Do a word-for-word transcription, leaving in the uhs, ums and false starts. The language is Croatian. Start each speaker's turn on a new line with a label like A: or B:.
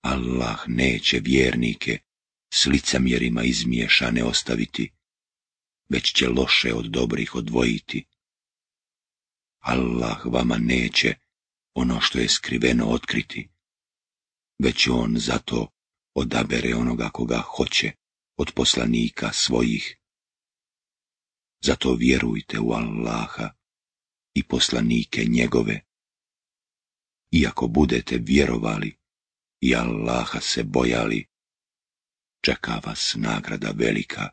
A: Allah neće vjernike s licemjerima izmiješane ostaviti, već će loše od dobrih odvojiti. Allah vama neće ono što je skriveno otkriti, već on zato odabere onoga koga hoće od poslanika svojih. Zato vjerujte u Allaha i poslanike njegove. Iako budete vjerovali i Allaha se bojali, čeka vas nagrada velika.